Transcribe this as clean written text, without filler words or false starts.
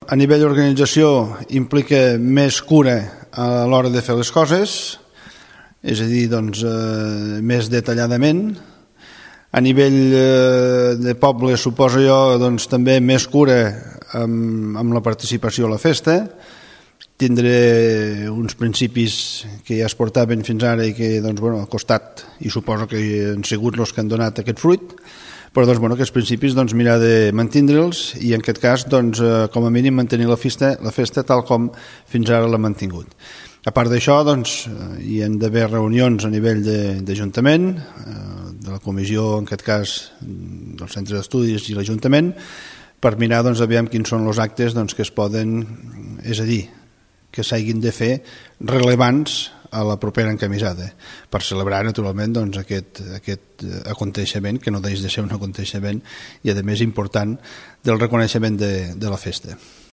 a nivell d'organització implica més cura a l'hora de fer les coses, és a dir, doncs, més detalladament. A nivell de poble, suposo jo, doncs, també més cura amb la participació a la festa. Tindré uns principis que ja es portaven fins ara i que doncs, bueno, al costat, i suposo que han sigut els que han donat aquest fruit, però doncs, bueno, aquests principis doncs, mirar de mantindre'ls i en aquest cas doncs, com a mínim mantenir la festa tal com fins ara l'ha mantingut. A part d'això doncs, hi han d'haver reunions a nivell d'Ajuntament, de la comissió en aquest cas del centre d'estudis i l'Ajuntament, per mirar doncs, aviam quins són els actes doncs, que es poden, és a dir, que s'hagin de fer rellevants a la propera encamisada, per celebrar naturalment doncs, aquest aconteixement, que no deixa de ser un aconteixement i a més important del reconeixement de la festa.